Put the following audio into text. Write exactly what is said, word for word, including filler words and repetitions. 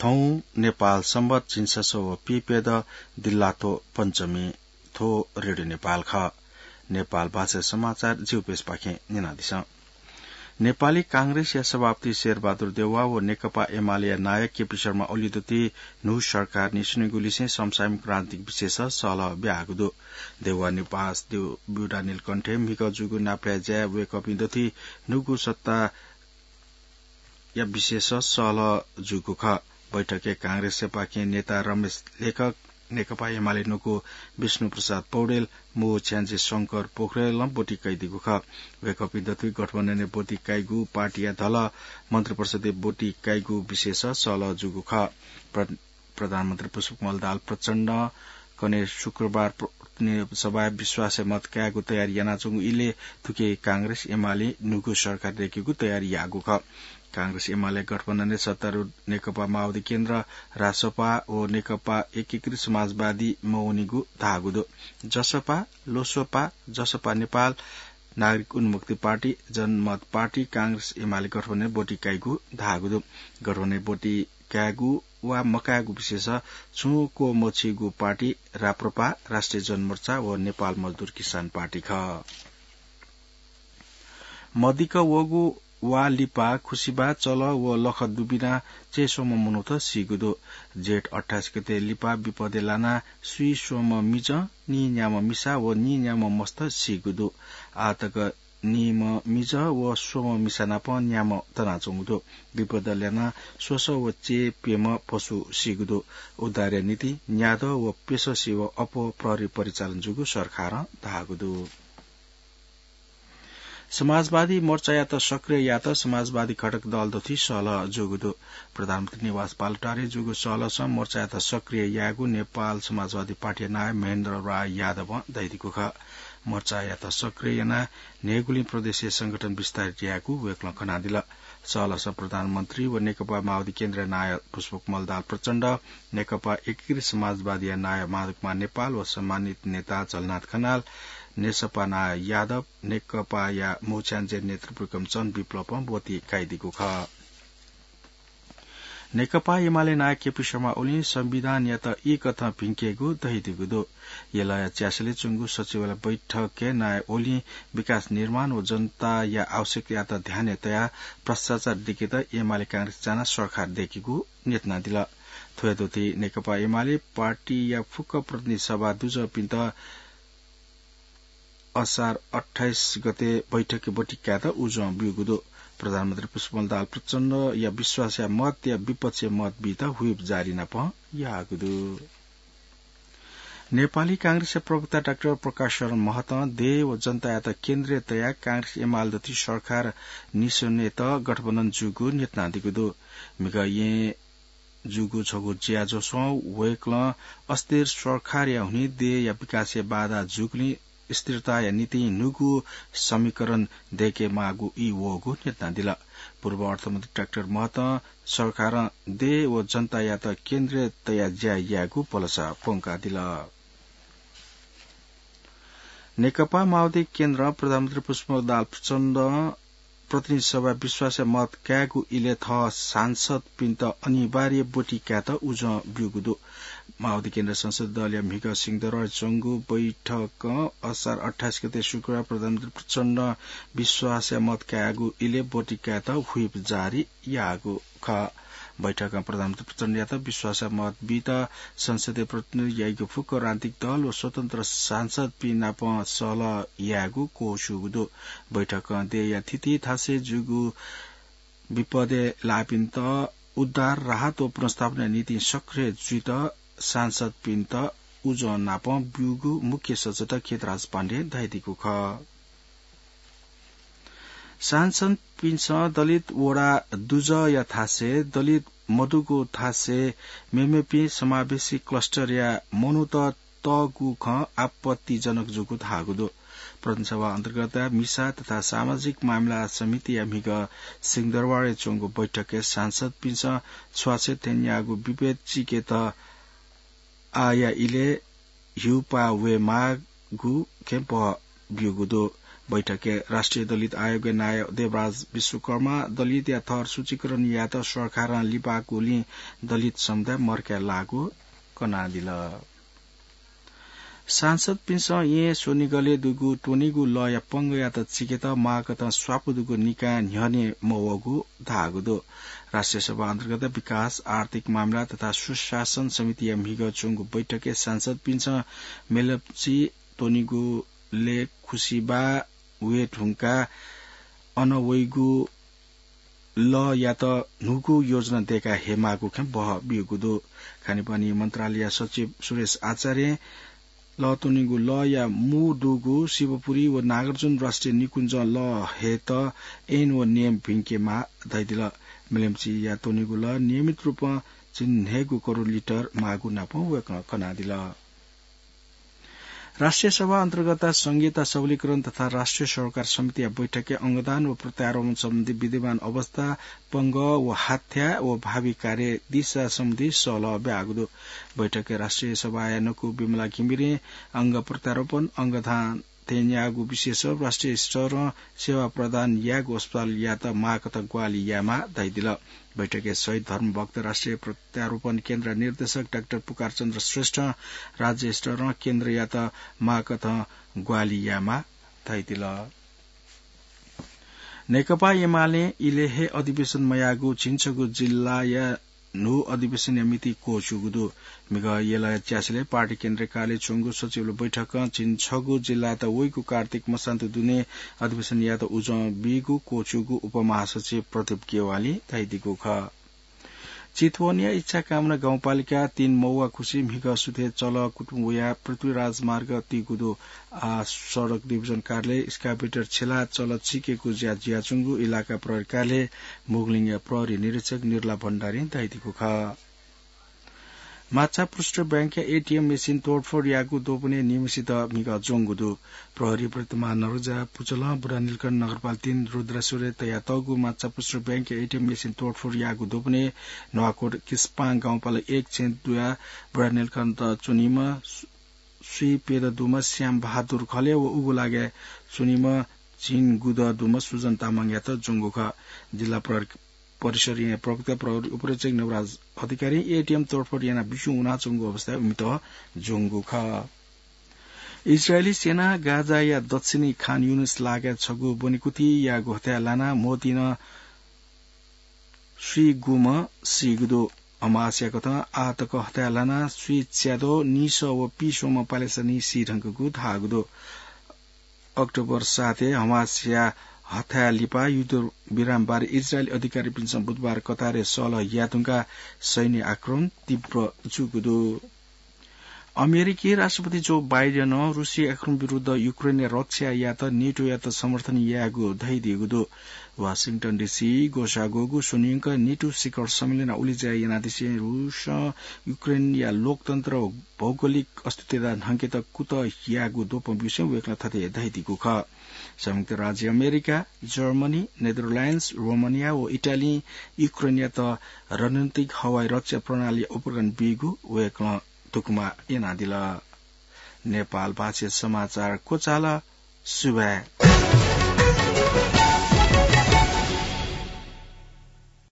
थौं नेपाल संवत झिंछसः व पीप्यदँ दिल्लाथ्व पञ्चमी। थ्व रेडियो नेपाल खः। नेपाल भाषा समाचार जिउपेसपाखें न्यनादिसँ। नेपाली कांग्रेसया सभापति शेरबहादुर देउवा व नेकपा एमालेया नायः केपी शर्मा ओलीं दथुइ न्हू सरकार निस्वनेगु लिसें समसामयिक राजनीतिक विषयस सहलह ब्याहाःगु दु। देउवा निवास ब्यूडा नीलकण्ठय् म्हिगः जूगु नापलाये ज्याय् वय्कःपिं दथुइ न्हूगु सत्ता या विषयस सहलह जूगु खः। बैठकय् कांग्रेसयापाखें नेता रमेश लेखक, नेकपा एमाले न्वकू विष्णु प्रसाद पौडेल, मू छ्याञ्जे शंकर पोखरेलं ब्वति कयादीगु खः। वय्कःपिं दथुइ गठबन्धनय् ब्वति काइगु, पार्टीया धलः मन्त्रिपरिषदय् ब्वति काइगु विषयस सहलह जूगु खः। प्र-, प्रधानमन्त्री पुष्पकमल दाहाल प्रचण्डं कन्हय् शुक्रबार प्र-, प्रतिनिधि सभाय् विश्वासया मत कायेगु तयारी यानाच्वंगु इलय् थुकी कांग्रेस एमालें न्हूगु सरकार दयेकेगु तयारी याःगु खः। कांग्रेस एमाले गठबन्धनय् सत्तारूढ नेकपा माओवादी केन्द्र, रासोपा व नेकपा एकीकृत समाजवादी मवनीगु धाःगु दु। जसपा, लोसोपा, जसपा नेपाल, नागरिक उन्मुक्ति पार्टी, जनमत पार्टी, कांग्रेस एमाले गठबन्धनय् ब्वति काइगु धाःगु दु। गठबन्धनय् ब्वति कायेगु वा मकायेगु विषयस छुं क्वमछिगु पार्टी राप्रपा, राष्ट्रिय जनमोर्चा व नेपाल मजदुर किसान पार्टी खः। मदिक्क वःगु वा लिपा खुसिबा, चलः व लखं दुबिनाः चय्स्वम्ह मनूत सीगु दु। जेठ अट्ठाइस गते लिपा विपदय् लानाः स्वीस्वम्ह मिजं, नीन्याम्ह मिसा व नीन्याम्ह मस्त सीगु दु। आःतक नीम्ह मिजं व स्वम्ह मिसा नाप न्याम्ह तनाच्वंगु दु। विपदय् लानाः स्वसः व चय् प्यम्ह पशु सीगु दु। उद्धारया निंतिं न्यादँ व प्यसः सेवा अप्वः प्रहरी परिचालन जूगु सरकारं धाःगु दु। समाजवादी मोर्चायात सक्रिय यायेत समाजवादी घटक दल दथुइ सहलह जूगु दु। प्रधानमन्त्री निवास बालुवाटारय् जूगु सहलहसं मोर्चायात सक्रिय यायेगु नेपाल समाजवादी पार्टीया नायः महेन्द्र राय यादवं धयादीगु खः। मोर्चायात सक्रिय यानाः न्हय्गुलिं प्रदेशय् संगठन विस्तारित यायेगु वय्कलं कनादिल। सहलहसं प्रधानमन्त्री व नेकपा माओवादी केन्द्रया नायः पुष्पकमल दाहाल प्रचण्ड, नेकपा एकीकृत समाजवादीया नायः माधवकुमार नेपाल व सम्मानित नेता झलनाथ खनाल, नेसपा नायः यादव, नेकपाया मू छ्याञ्जे नेतृत्व कमिसन विप्लवं ब्वति काइदीगु खः। नेकपा एमाले नायः केपी शर्मा ओलीं संविधानयात ई कथं भिंकेगु धयादीगु दु। यलया च्यासलय् च्वंगु सचिवालय बैठकय् नायः ओलीं विकास निर्माण व जनताया आवश्यकतायात ध्यानय् तयाः भ्रष्टाचार दिकेत एमाले कांग्रेस जानाः सरकार दयेकेगु न्यनादिल। थ्वया दथुइ नेकपा एमाले पार्टीया फुक्क प्रतिनिधि सभा दुजःपिन्त असार अट्ठाइस गते बैठकय् ब्वति कायेत उजं ब्यूगु दु। प्रधानमन्त्री पुष्पकमल दाहाल प्रचण्डया विश्वासया मतया विपक्षय् मत बीत whip जारी नाप याःगु दु। नेपाली कांग्रेसया प्रवक्ता डाक्टर प्रकाश शरण महतं देय् व जनतायात केन्द्रय् तयाः कांग्रेस एमाले दथुइ सरकार निस्वनेत गठबन्धन जूगु न्यनादीगु दु। म्हिगः येँ जूगु छगू ज्याझ्वलय् वय्कलं अस्थिर सरकारया हुनिं देय्या विकासय् बाधा जूगुलिं स्थिरताया निंतिं न्हूगु समीकरण दयेकेमाःगु ई वःगु न्यनादिल। पूर्व अर्थमन्त्री डाक्टर महतं सरकारं देय् व जनतायात केन्द्रय् तयाः ज्या यायेगु भलसा प्वंकादिल। नेकपा माओवादी केन्द्रं प्रधानमन्त्री पुष्पकमल दाहाल प्रचण्डं प्रतिनिधि सभाय् विश्वासया मत कायेगु इलय् थः सांसदपिन्त अनिवार्य ब्वति कायेत उजं ब्यूगु दु। माओवादी केन्द्र संसदीय दलया म्हिगः सिंहदरबारय् च्वंगु बैठकं असार अट्ठाइस गते शुक्रबार प्रधानमन्त्री प्रचण्डं विश्वासया मत कायेगु इलय् ब्वति कायेत whip जारी याःगु खः। बैठकं प्रधानमन्त्री प्रचण्डयात विश्वासया मत बीत संसदीय प्रतिनिधि याइगु फुक्क राजनीतिक दल व स्वतन्त्र सांसदपिं नाप सहलह यायेगु क्वःस्यूगु दु। बैठकं देय्या थीथी थासय् जूगु विपदय् लाःपिन्त उद्धार, राहत व पुनर्स्थापनाया निंतिं सक्रिय जुइत सांसदपिन्त उजं नाप ब्यूगु मुख्य सचेतक खेतराज पाण्डें धयादीगु खः। सांसदपिन्सं दलित वडा दुजःया थासय्, दलित मदुगु थासय् मेमेपिं समावेशी क्लस्टरया मनूत तःगु खँ आपत्तिजनक जूगु धाःगु दु। प्रतिनिधि सभा अन्तर्गतया मिसा तथा सामाजिक मामिला समितिया म्हिगः सिंहदरबारय् च्वंगु बैठकय् सांसदपिन्सं छ्वाछ्वय् थेंन्याःगु विभेद चिकेत आःया इलय् ह्यूपाः वयेमाःगु खेँपः ब्यूगु दु। बैठकय् राष्ट्रिय दलित आयोगया नायः देवराज विश्वकर्मा दलितया थर सूचीकरण यायेत सरकारं लिपाकुलिं दलित समुदाय मर्काय् लाःगु कनादिल। सांसदपिन्सं येँ स्वनिगलय् दुगु त्वनीगु लःया पंगःयात चिकेत माःकथं स्वापू दुगु निकाय न्ह्यःने मवःगु धाःगु दु। राष्ट्रिय सभा अन्तर्गत विकास, आर्थिक मामिला तथा सुशासन समितिया म्हिगः च्वंगु बैठकय् सांसदपिन्सं मेलम्ची त्वनीगुलय् खुसिबा वये धुंकाः अन वइगु लःयात न्हूगु योजना दय्‌का हयेमाःगु खँ बहःब्यूगु दु। खानेपानी मन्त्रालयया सचिव सुरेश आचार्यं लः त्वनीगु लःया मू दुगु शिवपुरी व नागार्जुन राष्ट्रिय निकुञ्जं लः हयेत ऐन व नियम भिंकेमाः धयादिल। मेलम्चीया त्वनीगु लः नियमित रूपं झिंन्हय्‌गू करोड लिटर माःगु नापं वय्‌कलं कनादिल। राष्ट्रिय सभा अन्तर्गत संघीयता सबलीकरण तथा राष्ट्रिय सरोकार समितिया बैठकय् अंगदान व प्रत्यारोपण सम्बन्धी विद्यमान अवस्था, पंगः व हाथ्या व भावी कार्य दिशा सम्बन्धी सल्लाह ब्याःगु दु। बैठकय् राष्ट्रिय सभाया नकु विमला घिमिरें अंग प्रत्यारोपण, अंगदान थेंज्याःगु विषयय् राष्ट्रिय स्तरं सेवा प्रदान याःगु अस्पतालयात माःकथं ग्वाहालि यायेमाः धयादिल। बैठकय् शहीद धर्मभक्त राष्ट्रिय प्रत्यारोपण केन्द्र निर्देशक डाक्टर पुकार चन्द्र श्रेष्ठं राज्य स्तरं केन्द्रयात माःकथं ग्वाहालि यायेमाः धयादिल। नेकपा एमालें इलय् हे अधिवेशन मयाःगु झिंछगू जिल्लाया न्हू अधिवेशनया मिति क्वःछ्यूगु दु। म्हिगः यलया च्यासिलय् पार्टी केन्द्रीय कार्यालय च्वंगु सचिवालय बैठकं झिंछगू जिल्लायात वइगु कार्तिक मसान्तु दुने अधिवेशन यायेत उजं बीगु क्वःछ्यूगु उपमहासचिव प्रदीप गेवालीं धयादीगु खः। चितवनया इच्छाकामना गाउँपालिका तीन मौवाखुसी म्हिगः सुथय् चलः कुतुं वयाः पृथ्वी राजमार्ग तीगु दु। आः सडक डिभिजन कार्यालय एक्सकाभेटर छ्यलाः चलः चिकेगु ज्या जुयाच्वंगु इलाका प्रहरी कार्यालय मुगलिङया प्रहरी निरीक्षक निर्ला भण्डारीं धयादीगु खः। माछापुच्छ्रे बैंकया एटीएम मेसिन तोडफोड याःगु द्वपनय् निम्हसित म्हिगः ज्वंगु दु। प्रहरी प्रति महानगरपालिका पुचलं बुढानीलकण्ठ नगरपालिका तीन रुद्रेश्वरय् तयातःगु माछापुच्छ्रे बैंकया एटीएम मेसिन तोडफोड याःगु द्वपनय् न्वाकोट किस्पां गाउँपालिका एक छेँ दुया बुढानीलकण्ठ च्वनीम्ह स्वीप्यदँ दुम्ह श्याम बहादुर खले व उगु लागाय् च्वनीम्ह झिंगुदँ दुम्ह सुजन तामाङयात ज्वंगु खः। जिल्ला प्रहरी परिसरया प्रवक्ता प्रहरी उपरीक्षक नवराज अधिकारीं एटीएम तोडफोड यानाः बिस्युं वनाच्वंगु अवस्थाय् इमित ज्वंगु खः। इजरायली सेनां गाजाया दक्षिणी खान युनिस लागाय् छगू ब्वनेकुथि याःगु हथाय् लानाः म्होतिं स्वीगुम्ह सीगु दु। हमासया कथं आः तक हथाय् लानाः स्वीच्याद्वः निसः व पिस्वम्ह प्यालेस्टाइनी सी धुंकूगु धाःगु दु। अक्टोबर सातय् हमासया हथाय् लिपा युद्धविराम बारे इजरायली अधिकारीपिन्सं बुधबार कतारय् सल्लाह याये धुंकाः सैन्य आक्रमण तीव्र जूगु दु। अमेरिकी राष्ट्रपति जो बाइडेनं रुसी आक्रमण विरुद्ध युक्रेनया रक्षा यायेत नेटोयात समर्थन यायेगु धयादीगु दु। वाशिंटन डीसी ग्वसाः ग्वःगु स्वनिंक नेटो शिखर सम्मेलनय् उलेज्या यानादिसें रुसं युक्रेनया लोकतन्त्र व भौगोलिक अस्तित्वता न्हंकेत कुतः याःगु द्वपं ब्यूसें वय्कलं थथे धयादीगु खः। संयुक्त राज्य अमेरिका, जर्मनी, नेदरल्याण्ड्स, रोमानिया व इटालीं युक्रेनयात रणनीतिक हवाई रक्षा प्रणाली उपकरण बीगु वय्कलं दुकमा यानादिल। नेपाल भाषा समाचार क्वचाल। सुभाय्।